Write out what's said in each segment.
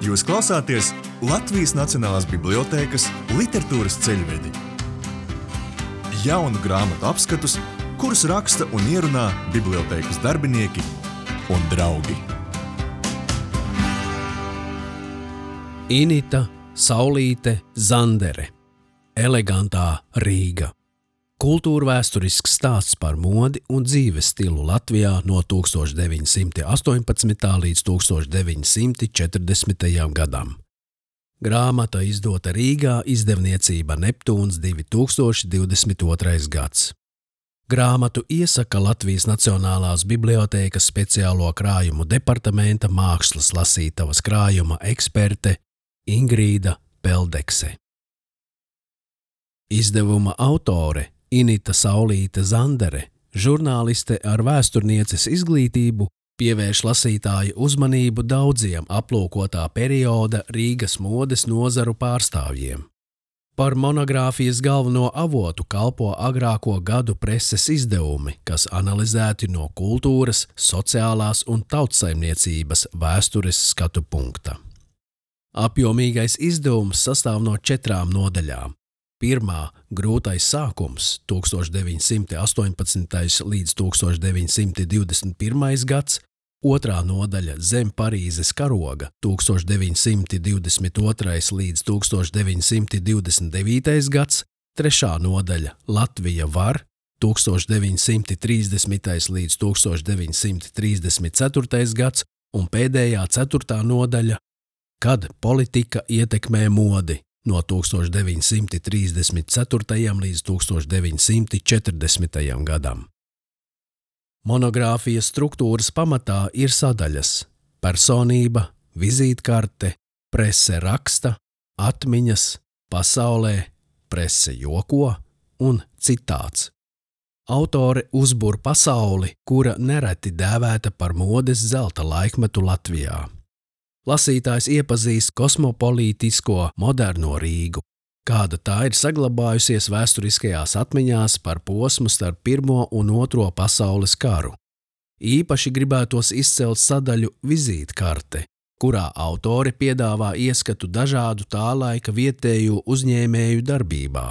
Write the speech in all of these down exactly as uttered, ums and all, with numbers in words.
Jūs klausāties Latvijas Nacionālās bibliotēkas literatūras ceļvedi. Jaunu grāmatu apskatus, kurus raksta un ierunā bibliotēkas darbinieki un draugi. Inita Saulīte Zandere. Elegantā Rīga. Kultūrvēsturisks stāsts par modi un dzīves stilu Latvijā no tūkstoš deviņi simti astoņpadsmitā līdz tūkstoš deviņi simti četrdesmitajam gadam. Grāmata izdota Rīgā, izdevniecība Neptūns divi tūkstoši divdesmit otrais gads. Grāmatu iesaka Latvijas Nacionālās bibliotēkas speciālo krājumu departamenta mākslas lasītavas krājuma eksperte Ingrīda Peldekse. Izdevuma autore Inita Saulīte Zandere, žurnāliste ar vēsturnieces izglītību, pievērš lasītāju uzmanību daudziem aplūkotā perioda Rīgas modes nozaru pārstāvjiem. Par monogrāfijas galveno avotu kalpo agrāko gadu preses izdevumi, kas analizēti no kultūras, sociālās un tautsaimniecības vēstures skatu punkta. Apjomīgais izdevums sastāv no četrām nodaļām. Pirmā – grūtais sākums tūkstoš deviņi simti astoņpadsmitais līdz tūkstoš deviņi simti divdesmit pirmais gads, otrā nodaļa – zem Parīzes karoga tūkstoš deviņi simti divdesmit otrais līdz tūkstoš deviņi simti divdesmit devītais gads, trešā nodaļa – Latvija var tūkstoš deviņi simti trīsdesmitais līdz tūkstoš deviņi simti trīsdesmit ceturtais gads un pēdējā ceturtā nodaļa – Kad politika ietekmē modi no tūkstoš deviņi simti trīsdesmit ceturtajam līdz tūkstoš deviņi simti četrdesmitajam gadam. Monogrāfijas struktūras pamatā ir sadaļas – personība, vizītkarte, prese raksta, atmiņas, pasaulē, prese joko un citāts. Autore uzbur pasauli, kura nereti dēvēta par modes zelta laikmetu Latvijā. Lasītājs iepazīst kosmopolītisko moderno Rīgu, kāda tā ir saglabājusies vēsturiskajās atmiņās par posmu starp Pirmo un Otro pasaules karu. Īpaši gribētos izcelt sadaļu vizītkarte, kurā autori piedāvā ieskatu dažādu tā laika vietēju uzņēmēju darbībā.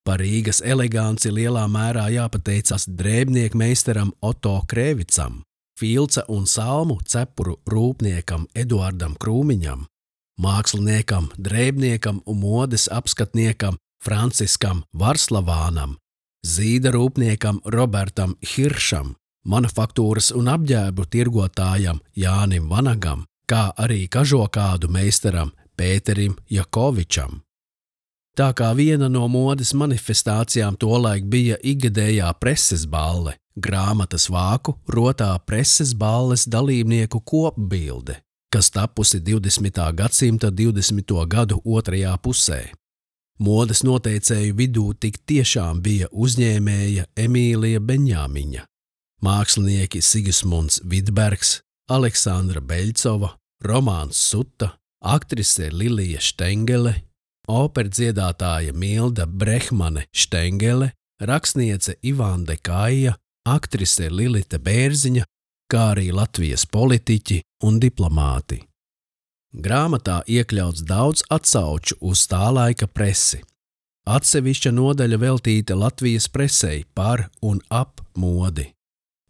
Par Rīgas eleganci lielā mērā jāpateicas drēbniekmeistaram Oto Krēvicam, filca un salmu cepuru rūpniekam Eduardam Krūmiņam, māksliniekam, drēbniekam un modes apskatniekam Franciskam Varslavānam, zīda rūpniekam Robertam Hiršam, manufaktūras un apģērbu tirgotājam Jānim Vanagam, kā arī kažokādu meistaram Pēterim Jakovičam. Tā kā viena no modes manifestācijām tolaik bija ikgadējā preses balle, grāmatas vāku rotā preses balles dalībnieku kopbilde, kas tapusi divdesmitā gadsimta divdesmito gadu otrajā pusē. Modes noteicēju vidū tik tiešām bija uzņēmēja Emīlija Beņāmiņa, mākslinieki Sigismunds Vidbergs, Aleksandra Beļcova, Romāns Suta, aktrise Lilija Štengele, operdziedātāja Milda Brehmane Štengele, rakstniece Ivande Kaija, aktrise Lilita Bērziņa, kā arī Latvijas politiķi un diplomāti. Grāmatā iekļauts daudz atsauču uz tā laika presi. Atsevišķa nodaļa veltīta Latvijas presei par un ap modi.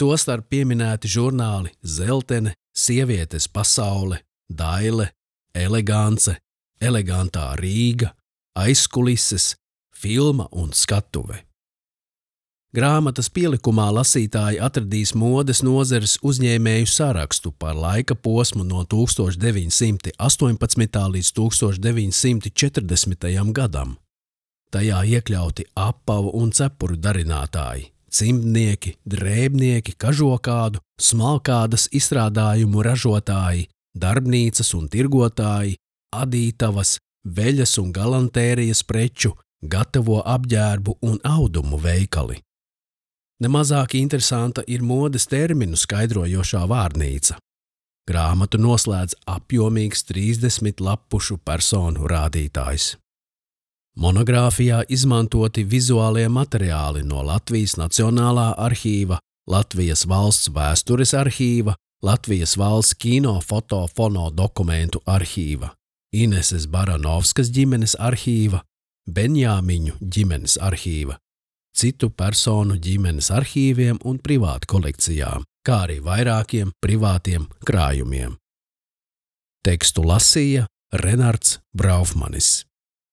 Tostarp pieminēti žurnāli Zeltene, Sievietes pasaule, Daile, Elegance, Elegantā Rīga, Aizkulises, filma un skatuve. Grāmatas pielikumā lasītāji atradīs modes nozares uzņēmēju sarakstu par laika posmu no tūkstoš deviņi simti astoņpadsmitā līdz tūkstoš deviņi simti četrdesmitajam gadam. Tajā iekļauti apavu un cepuru darinātāji, cimdnieki, drēbnieki, kažokādu, smalkādas izstrādājumu ražotāji, darbnīcas un tirgotāji, adītavas, veļas un galantērijas preču, gatavo apģērbu un audumu veikali. Nemazāk interesanta ir modes terminu skaidrojošā vārnīca. Grāmatu noslēdz apjomīgs trīsdesmit lapušu personu rādītājs. Monogrāfijā izmantoti vizuālie materiāli no Latvijas Nacionālā arhīva, Latvijas Valsts vēstures arhīva, Latvijas valsts kino, foto, fono dokumentu arhīva, Ineses Baranovskas ģimenes arhīva, Benjāmiņu ģimenes arhīva, citu personu ģimenes arhīviem un privātu kolekcijām, kā arī vairākiem privātiem krājumiem. Tekstu lasīja Renards Braufmanis.